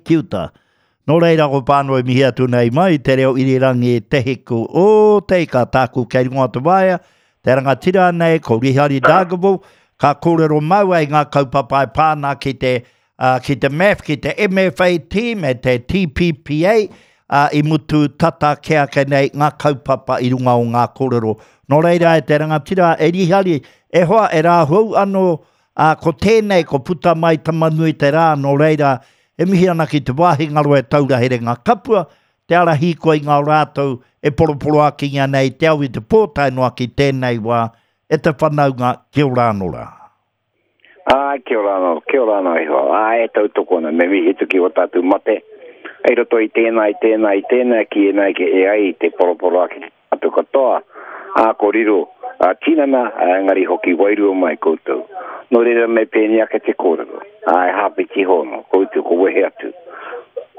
ki uta. Nō reira ko Pānui mihi atu nei mai te reo irirangi Te Hiku o Te Ika tāku kei runga o te waea, te rangatira nei ko Rihari Dargaville, ka kōrero māua i ngā kaupapa e pā ana ki te, uh, ki te MAF, ki te MFAT me te TPPA, uh, i mutu tata ke ake nei ngā kaupapa i runga o ngā kōrero. Nō reira e te rangatira e Rihari, e hoa e rāhou anō, ā, ko tēnei ko puta mai Tamanui te rā, nō reira E mihi ana ki te wāhi ngaro e taura herenga kapua, te ara hīkoi i ngā o rātou e poroporoākingia nei i te ao i te pō tae noa ki tēnei wā, e te whanaunga, kia ora anō rā. Āe, kia ora anō, kia ora anō e hoa. Āe, e tautoko ana, me mihi atu ki ō tātou mate, i roto i tēnā, i tēnā, i tēnā, ki ēnā, ki e ai te poroporoāki Atu katoa, ā, ko riro ā tinana, ā, engari hoki wairua mai koutou. Nō reira me pēnei ake te kōrero, ā, e Hāpiti Hono, koutou ko wehe atu.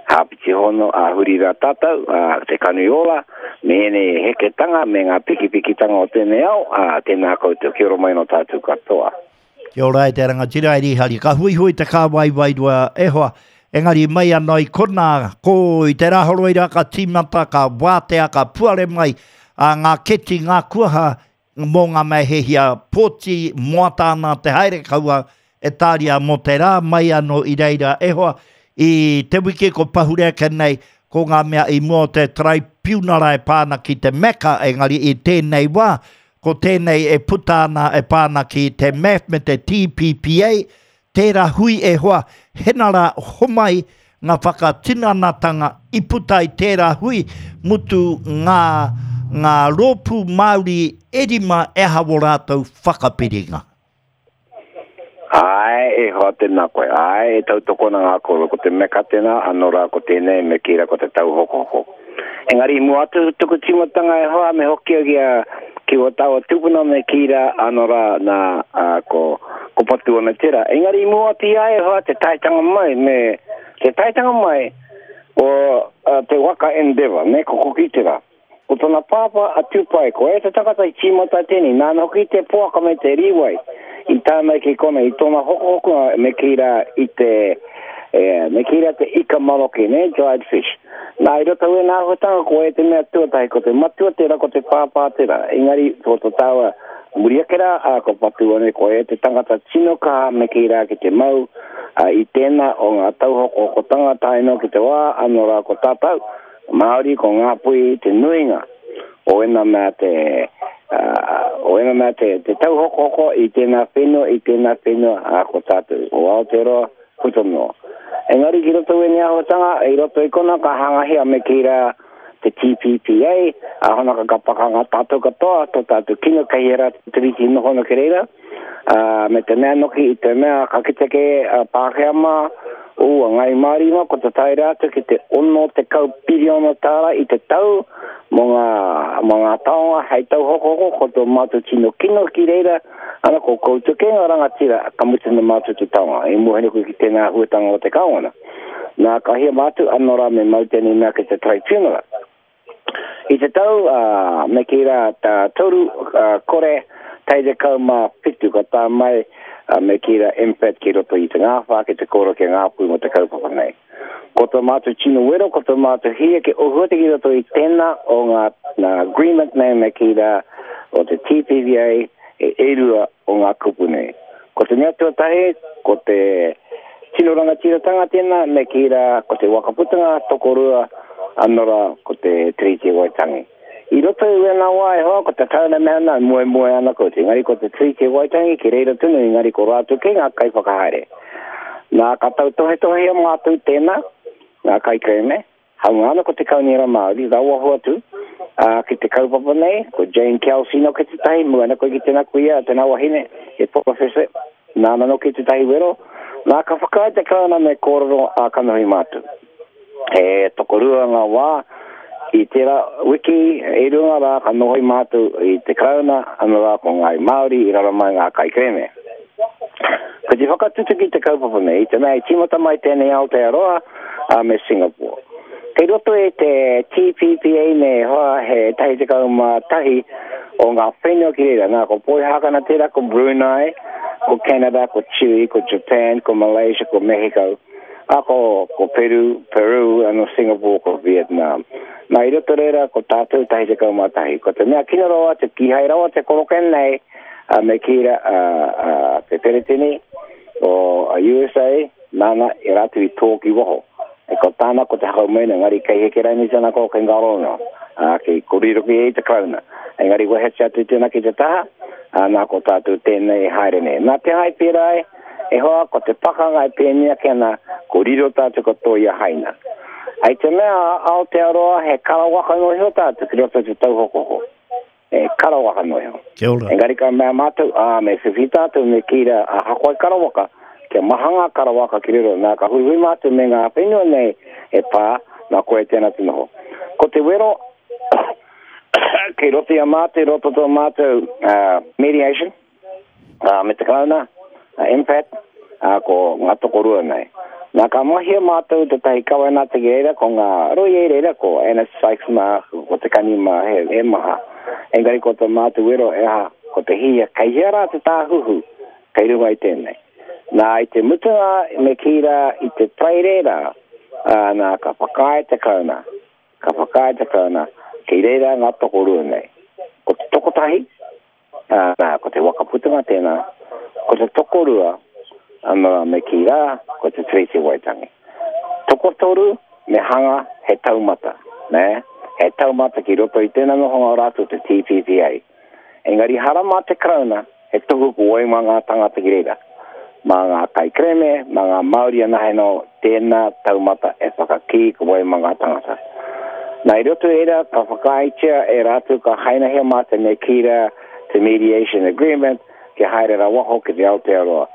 Hāpiti Hono, ā, huri rā tātou, ā, te kanui ora, me ēnei heketanga, me ngā pikipikitanga o tēnei ao, ā, tēnā koutou, kia ora mai nō tātou katoa. Kia ora e te rangatira e Rihari. Ka huihui te kāwai wairua e hoa. Engari mai ana i konā, ko i te rāhoroi rā ka tīmata, ka wātea, ka puare mai a ngā keti, ngā kuaha mō ngā mea he hia pōti moata ana te haere kaua e tāria mō te rā mai anō i reira e hoa. I te wiki ko pahure ake nei, ko ngā mea i mua o te taraipiunara e pā ana ki te Mecca, engari i tēnei wā, Ko tēnei e puta ana e pā ana ki te MAF me te TPPA, tērā hui e hoa, henara homai ngā whakatinanatanga i puta i tērā hui, mutu ngā, ngā rōpū Māori e rima e aha wō rātou whakapiringa. Āe, e hoa tēnā koe. Āe, e tautoko ana ngā kōrero, ko te meka tēnā, anō rā ko tēnei, me kī rā ko te tauhokohoko. Engari i mua atu tuku tīmatanga e hoa, me hoki au ki a, ki wō tāua tūpuna me kī rā, anō rā, nā, ā, ko, ko Patuone tērā. Engari i mua atu i a e hoa, te taetanga mai, me, te taetanga mai o uh, te waka Endeavour, me ko Kuki tērā. Ko tona pāpā a Tupai, ko ia te tangata i tīmata tēnei, nāna hoki te poaka me te rīwai i tae mai ki konei, i tōna hokohokonga me kī rā i te, e, me kī rā te ika maroke, nē, dried fish. Nā, i roto i ēnā āhuatanga, ko ia te mea tuatahi, ko te matua tērā, ko te pāpā tērā. Engari, ko tō tāua muri ake rā, ā, ko Patuone, ko ia te tangata tino kaha me kī rā ki te mau, ā, i tēnā o ngā tauhokohokotanga tae noa ki te wā, anō rā ko tātou, Māori, ko Ngāpuhi te nuinga o ēnā mea te, o ēnā mea te, te tauhokohoko i tēnā whenua, i tēnā whenua, ā, ko tātou, o Aotearoa, puta noa. Engari ki roto i ēnei āhuatanga, i roto i kona ka hangahia me kī rā te TPPA, ā, hona ka ka pakanga tātou katoa, tō tātou kino kei hea rā te tiriti noho ana ki reira, ā, me te mea noki i te mea ka kite kē a Pākehā mā, ū, a Ngāi Māori mā, ko te tae rā atu ki te 60 piriona tāra i te tau mō ngā, mō ngā taonga hei tauhokohoko, ko tō mātou tino kino ki reira, ana ko koutou kē ngā rangatira ka mutu nā mātou te taonga, i mōhio koe ki tēnā āhuatanga o te kāwana. Nā, ka hia mātou, anō rā me mau tēnei mea ki te tribunal. I te tau, ā, me kī rā, tā toru, ā, kore, tai 17 ka tae mai, ā, me kī rā, MFAT ki roto i te ngāwhā, ki te kōrero ki a Ngāpuhi mō te kaupapa nei. Ko tō mātou tino wero, ko tō mātou hia ki ohu atu ki roto i tēnā o ngā, ngā agreement nei, me kī rā, o te TPVA, e, e rua o ngā kupu nei. Ko te mea tuatahi, ko te tino rangatiratanga tēnā, me kī rā, ko te waka putanga tokorua, anō rā, ko te Tiriti o Waitangi. I roto i wēnā wā e hoa, ko te tauna mea ana, moemoe ana koutou, engari ko te Tiriti o Waitangi ki reira tonu, engari ko rātou kē ngā kaiwhakahaere. Nā, ka tautohetohea mātou tēnā, ngā kaikerēme, Haunga ana ko te Kaunihera Māori, rawa hoatu, ā, ki te kaupapa nei, ko Jane Kelsey noki tētahi, mua ana koe ki tēnā kuia, tēnā wahine, he porofesa, nāna noki tētahi wero, nā, ka whakaae te Karauna me kōrero ā kanohi mātou. He tokorua ngā wā, i tērā wiki, e rua ngā rā ka nohoi mātou i te Karauna, anō rā ko Ngāi Māori i raro mai ngā kaikerēme. Ko te whakatutuki te kaupapa nei, i te mea i tīmata mai tēnei Aotearoa, ā, me Singapore. Kei roto i te TPPA nei hoa he 11 o ngā whenua ki reira. Nā, ko Poihākana tērā, ko Brunei, ko Canada, ko Chile, ko Japan, ko Malaysia, ko Mexico. Ā, ko, ko Peru, Peru, ano Singapore, ko Vietnam. Nā, i roto reira, ko tātou 11. Ko te mea kino rawa atu, kīhai rawa te koroke nei, a, me kī rā, a, a, te Peretini o a USA, nāna e rātou i tō ki waho. E ko tāna ko te hakau mai nei, engari kei heke raini tana ko kei ngaro no. Ā, kei ko riro ki e te Karauna. Engari wehetia atu tēnā ki te taha, ā, nā ko tātou tēnei e haere nei. Nā te hai pērā e, e hoa, ko te pakanga e pēnei ake ana, ko riro tātou ko tō ia haina. Hei te mea a Aotearoa he karawaka noa iho tātou ki roto i te tauhokohoko. E karawaka noa iho. Kia ora. Engari ka mea mātou, ā, me whiwhi tātou me kī rā, ahakoa i karawaka, kia maha ngā karawaka ki riro, nā ka huihui mātou me ngā whenua nei e pā, nā koe tēnā te noho. Ko te wero, kei roto i a mātou, i roto tō mātou mediation, me te Karauna, MFAT, ko ngā tokorua nei. Nā, ka mahia mātou tētahi kawenata ki reira, ko ngā rōia i reira, ko Anna Sykes mā, ko Te Kani mā, he, he maha. Engari ko tō mātou wero e aha, ko te hihia, kei hea rā te tāhuhu, kei runga i tēnei. Nā, i te mutunga, me kī rā, i te Paraire rā, ā, nā, ka whakaae te Karauna, ka whakaae te Karauna, kei reira ngā tokorua nei. Ko te tokotahi, Ā, nā, ko te waka putanga tēnā, ko te tokorua, anō rā me kī rā, ko te Tiriti o Waitangi. Tokotoru me hanga he taumata, nē, he taumata ki roto i tēnā nohonga o rātou te TPPA. Engari hara mā te Karauna, he tohu ko wai mā ngā tangata ki reira. Mā ngā kaikerēme, mā ngā Māori anahe nō tēnā taumata e whakakī ko wai mā ngā tangata. Nā, i roto i reira, ka whakaaetia e rātou ka hainahia mātou me kī rā te Mediation Agreement kia haere ra waho ki te Aotearoa.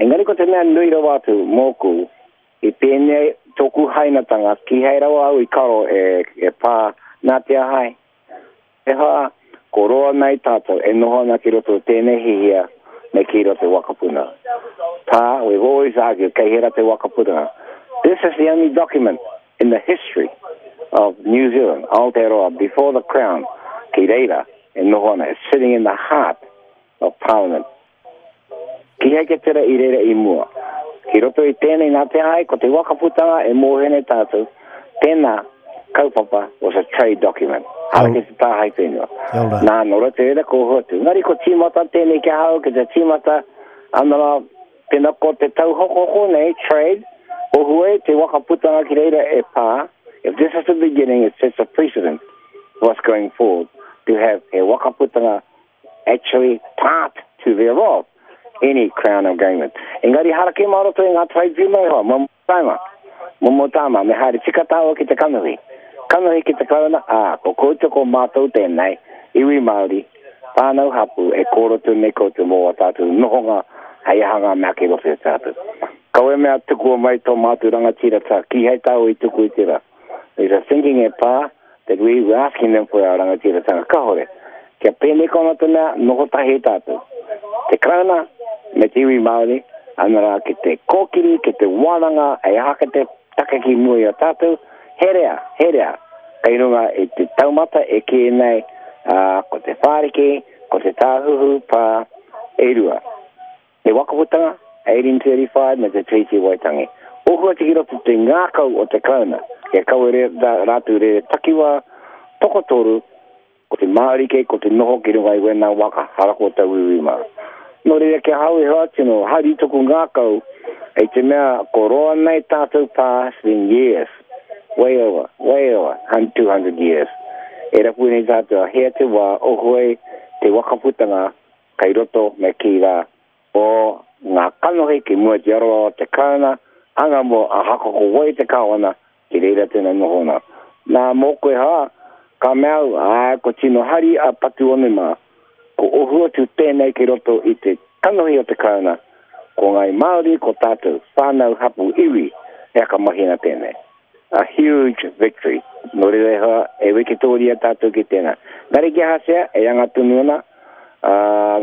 Engari ko te mea nui rawa atu mōku, i pēnei tōku hainatanga, kīhai rawa au i karo e, e pā nā te aha ai. He aha, ko roa nei tātou e noho ana ki roto o tēnei hihia me kī roto te wakapuna. Tā, we've always argued, kei hera te wakapuna. This is the only document in the history of New Zealand, Aotearoa, before the Crown, ki reira e noho ana, it's sitting in the heart of Parliament. Kihai ke tera i reira i mua. Ki roto i tēnei nā te hai, ko te wakaputanga e mōhio nei tātou, tēnā kaupapa was a trade document. Hara ki te tāhae whenua. Nā, nō roto i reira ko hoatu. Engari ko tīmata tēnei ki ahau, ki te tīmata, ana rā, pēnā ko te tauhokohoko nei, trade, ohu e te wakaputanga ki reira e pā, if this is the beginning, it sets a precedent for us going forward to have he wakaputanga actually part to thereof any Crown agreement. Engari hara kē mā roto i ngā tribunal e hoa, momo tāma, momo tāma, me haere tika tāua ki te kanohi. Kanohi ki te Karauna, ā, ko koutou ko mātou tēnei, iwi Māori, whānau hapū, e kōroto nei koutou mō ā tātou nohonga hei aha ngā mea kei roto i a tātou. Kaua e mea tukua mai tō mātou rangatira tā, kīhai tāua i tuku i tērā. There's a thinking e pā, that we were asking them for our rangatiratanga. Kahore. Kia pēnei kona te mea, noho tahi tātou. Te Karauna me te iwi Māori, ana rā ki te kōkiri, ki te wānanga, hei aha ki te take ki mua i a tātou, herea, herea, kei runga i te taumata e kī nei, ā, ko te whāriki, ko te tāhuhu pā, e rua. Te Wakaputanga, 1835 me te Tiriti o Waitangi. Ohu atu ki roto te ngākau o te Karauna, kia kawe rātou rere takiwā tokotoru, ko te Māori kei ko te noho ki runga i wēnā waka harako tauiwi mā. Nō reira ki ahau e hoa tino hari toku ngākau i te mea ko roa nei tātou pā it's been years, way over, way over 200 years e rapu nei tātou a hea te wā ohu ai te wakaputanga Kei roto me kī rā, o ngā kanohi ki mua i te aroaro o te Karauna, anga mō ahako ko wai te Kāwana, ki reira tēnā nohona. Nā, mōku e hā, ka mea au, āe, ko tino hari a Patuone mā, ko ohu atu tēnei ki roto i te kanohi o te Karauna, ko Ngāi Māori, ko tātou, whānau, hapū, iwi, he whakamahina tēnei. A huge victory. Nō reira e hoa, e wikitōria tātou ki tēnā. Engari ki ahatia, e anga tonu ana, ā,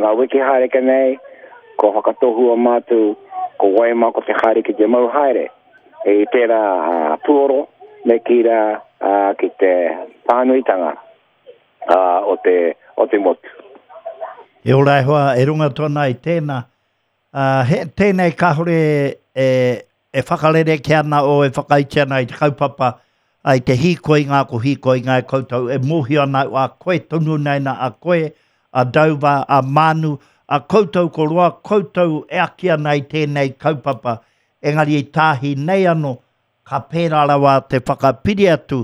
ngā wiki haereke nei, kua whakatohua mātou, ko wai mā ko te haere ki te mau haere i tērā puoro me kī rā, ā, ki te pānuitanga, ā, o te, o te motu. E ora e hoa, e runga atu ana i tēnā, ā, he, tēnei kāore e. e whakarerekē ana o e whakaiti ana i te kaupapa, i te hīkoinga, ko hīkoinga e koutou e mōhio ana a koe tonu nei na a koe, a Dover, a Mānu, a koutou ko roa koutou e aki ana i tēnei kaupapa, engari i tāhi nei ano, ka pērā rawa te whakapiri atu,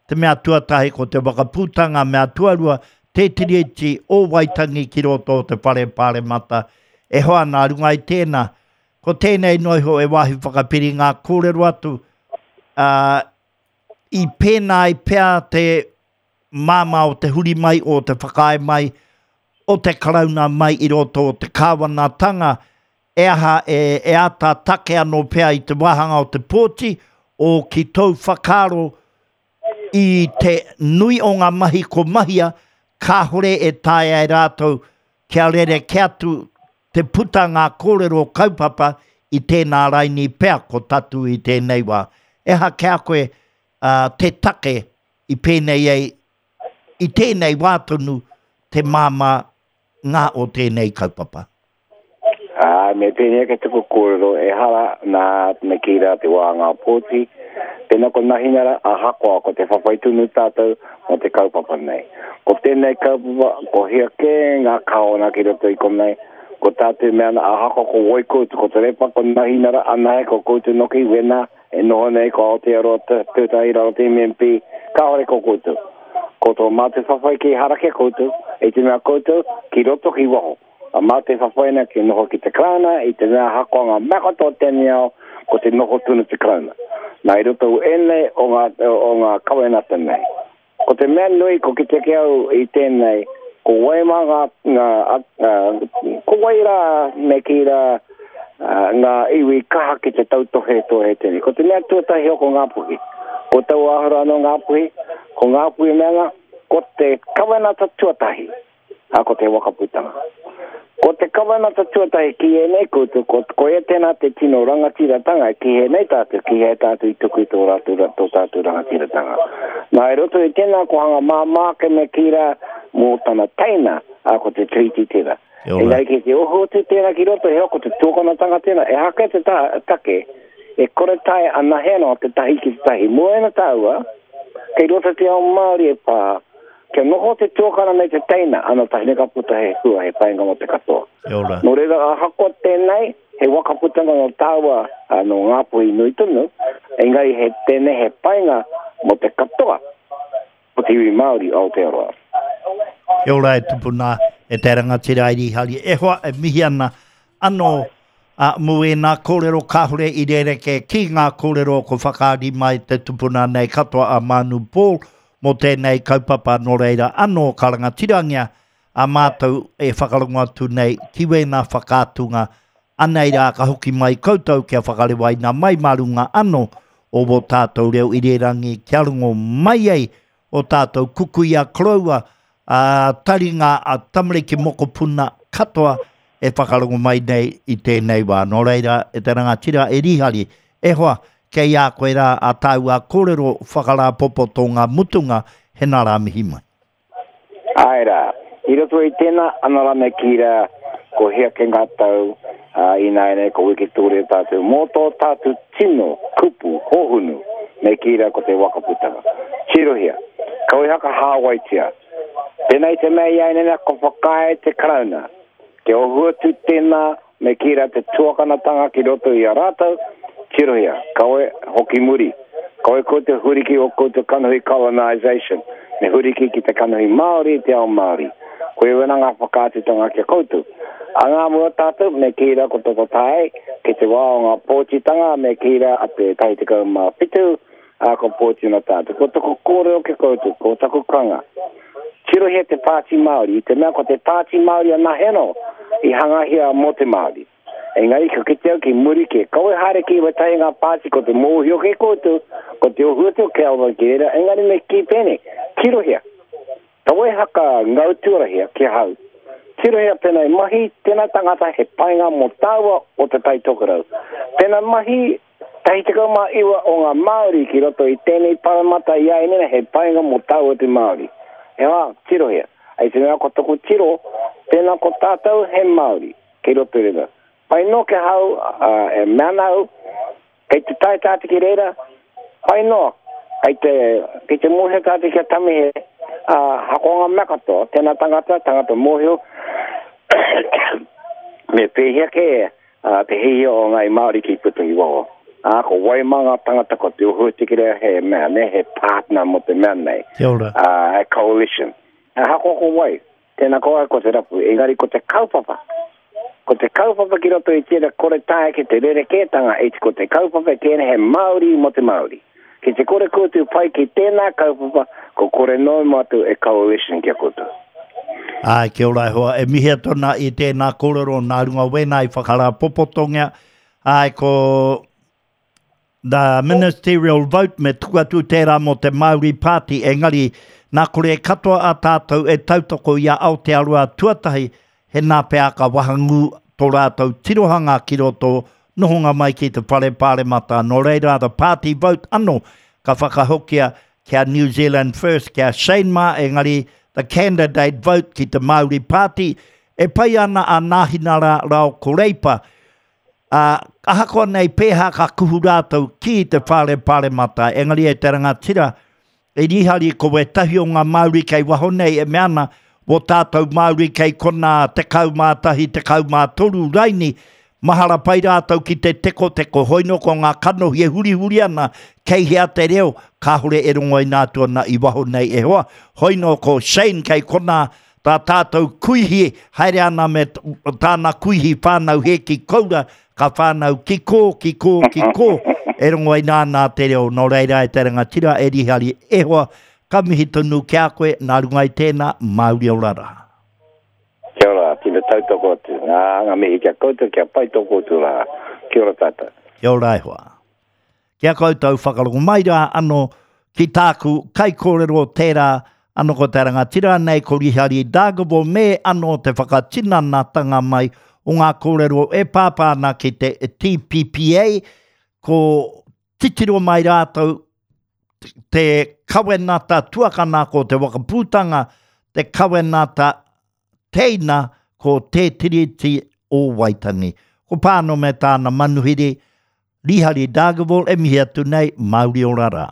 te mea tuatahi ko te wakaputanga, mea tuarua, te Tiriti o Waitangi ki roto o te Whare Pāremata, e hoa nā runga i tēnā, ko tēnei noa iho e wāhi whakapiri ngā kōrero atu, ā, i pēnā ai pea te māmā o te huri mai, o te whakaae mai, o te Karauna mai i roto o te kāwanatanga, e aha e, e āta take anō pea i te wāhanga o te pōti, o ki tōu whakaaro i te nui o ngā mahi ko mahia, kāhore e taea e rātou kia rerekē atu te puta ngā kōrero kaupapa i tēnā raini pea ko tatu i tēnei wā. E aha ki a koe te take i pēnei ai i tēnei wā tonu te māmā ngā o tēnei kaupapa? Ā, me pēnei ake taku kōrero, ehara nā me kī rā te wā ngā pōti, pēnā ko Nahinara, ahakoa ko te whawhai tonu tātou mō te kaupapa nei. Ko tēnei kaupapa, ko hea kē ngā kāwana ki roto i konei, ko tātou e mea ana, ahakoa ko wai koutou, ko Te Repa, ko Nahinara, anahe, ko koutou noki, wēnā, e noho nei ko Aotearoa tētahi raro te MMP, kāore ko koutou. Ko tō mātou whawhai kei harake koutou, i te mea koutou, ki roto ki waho. A mā te whawhai ana ki noho ki te Karauna, i te mea ahakoa ngā mea katoa o tēnei ao, ko te noho tonu te Karauna. Nā, i roto ēnei o ngā, o ngā kawenata nei. Ko te mea nui, ko kite ki au i tēnei, ko wai mā ngā, ngā, ko wai rā me kī rā ngā iwi kaha ki te tautohe tohe tēnei. Ko te mea tuatahi o ko Ngāpuhi. Ko taua āhua anō Ngāpuhi, ko Ngāpuhi mea ana, ko te kawenata tuatahi. Ā, ko te wakaputanga. Ko te kawenata tuatahi ki ēnei koutou, ko, koia tēnā te tino rangatiratanga ki hēnei tātou, ki hea tātou i tuku i tō rātou, tō tātou rangatiratanga. Nā, i roto i tēnā ko hanga māmā ake me kī rā mō tana teina, ā, ko te Treaty tērā. Engari kei te oho atu tērā ki roto, heoi ko te tuakanatanga tērā, ehake te ta, take, e kore taea anahe anō te tahi ki te tahi. Mua ina tāua, kei roto te ao Māori e pā, Kia noho te tuakana me te teina, ana tahi ka puta he hua, he painga mō te katoa. Kia ora. Nō reira, ahakoa tēnei, he waka putanga nō tāua, nō Ngāpuhi nui tonu, engari he tēnei he painga mō te katoa o te iwi Māori o Aotearoa. Kia ora e tupuna, e te rangatira i Rīhari. E hoa, e mihi ana anō mō ēnā kōrero kāore i rerekē ki ngā kōrero ko whakaari mai te tupuna nei katoa a Mānu Paul mō tēnei kaupapa nō reira anō ka rangatirangia a mātou e whakarongo atu nei ki wēnā whakaatunga anei rā ka hoki mai koutou kia whakarewaina mai mā runga anō o wō tātou reo irirangi kia rongo mai ai o tātou kukuia koroua a taringa a tamariki mokopuna katoa e whakarongo mai nei i tēnei wā. Nō reira, e te rangatira e Rihari, e hoa, kei a koe rā a tāua kōrero whakarāpopoto ngā mutunga, hena rā mihi mai. Āe rā. I roto i tēnā, ana rā me kī rā, ko hea ke ngā tau, ā, ināianei ko Wikitōria tātou, mō tō tātou tino kupu hōhunu, me kī rā ko te waka putanga. Tirohia, kau e hakahāwaitia. Pēnā i te mea i āianei ko whakaae te Karauna, Kia ohu atu tēnā me kī rā te tuakanatanga ki roto i a rātou, tirohia, kawe hoki muri, kawe koutou huri ki o koutou kanohi colonisation, me huri ki ki te kanohi Māori, te ao Māori. Koia wena ngā whakaatutanga ki a koutou. A ngā mua tātou, me kī rā ko Toto Tae, ki te wā o ngā pōtitanga, me kī rā a te 17, ā, ko Pōtuna tātou. Ko taku kōrero ki a koutou, ko taku kanga. Tirohia te Pāti Māori, i te mea ko te Pāti Māori anahe anō i hangahia mō te Māori. Engari ka kite au ki muri kē, kawe haere ki wētahi ngā pāti ko te mōhio kē koutou, ko te ohu atu o Kelvin ki reira, engari me kī pēnei, tirohia, kawe haka ngau tuarahia ki ahau, tirohia pēnā i mahi tēnā tangata he painga mō tāua o Te Tai Tokerau, pēnā mahi 19 o ngā Māori ki roto i tēnei paramata i āinene he painga mō tāua te Māori. He wā, tirohia. I te mea ko taku tiro, tēnā ko tātou he Māori kei roto i reira. Pai noa ki ahau, e mea ana au, Kei te tae tātou ki reira, pai noa, kei te, kei te mōhio tātou ki a Tamihe, ā, ahakoa ngā mea katoa, tēnā tangata, tangata mōhio, me pēhea kē ā, te hiahia o ngāi Māori ki puta ki waho. Ā, ko wai mā ngā tangata ko Te Ohu Tikirea he mea, nē, he partner mō te mea nei. Kia ora. Ā, he coalition. Ahakoa ko wai, Tēnā koa ko te rapu, engari ko te kaupapa, ko te kaupapa ki roto i tērā kore taea ki te rerekētanga it ko te kaupapa tēnei he Māori mō te Māori. Ki te kore koutou pai ki tēnā kaupapa, ko kore noa mātou e coalition ki a koutou. Āe, kia ora e hoa, e mihi atu ana i tēnā kōrero nā runga wēnā i whakarāpopotongia. Āe, ko The ministerial vote me tuku atu tērā mō te Māori Party, engari nā kore katoa a tātou e tautoko i a Aotearoa tuatahi, he nā pea ka wahangū tō rātou tirohanga ki roto nohonga mai ki te Whare Pāremata. Nō reira, the party vote anō ka whakahokia ki a New Zealand First, ki a Shane mā, engari the candidate vote ki te Māori Party, e pai ana a Nāhinara Rao ko Reipa. Ā, ahakoa nei pēhā ka kuhu rātou ki te whare paremata, engari e te rangatira, e rihari ko wētahi o ngā Māori kei waho nei e mea ana, wō tātou Māori kei konā 11, 13 raini, mahara pai rātou ki te tekoteko, hoino ko ngā kanohi e hurihuri ana, kei hea te reo, kāore e rongoina atu ana i waho nei e hoa, hoino ko Shane kei konā Tā tātou kuihi haere ana me tāna kuihi whānau hēki koura, ka whānau ki kō, ki kō, ki kō, e rongo ai nāna te reo. Nō reira e te rangatira, e Rihari, e hoa, ka mihi tonu ki a koe, nā runga i tēnā, Māori ora rā. Kia ora, tino tautoko atu. Ngā, ngā mihi ki a koutou, kia pai tō koutou rā. Kia ora tātou. Kia ora e hoa. Ki a koutou whakarongo mai rā ano ki tāku kaikōrero tērā ano ko te rangatira nei ko Rihari Dargaville me ano te whakatinanatanga mai o ngā kōrero e pāpā ana ki te TPPA ko titiro mai rātou te kawenata tuakana ko te wakapūtanga te kawenata teina ko Te Tiriti o Waitangi. Ko Pāno me tāna manuhiri Rihari Dargaville e mihi atu nei, mauri ora rā.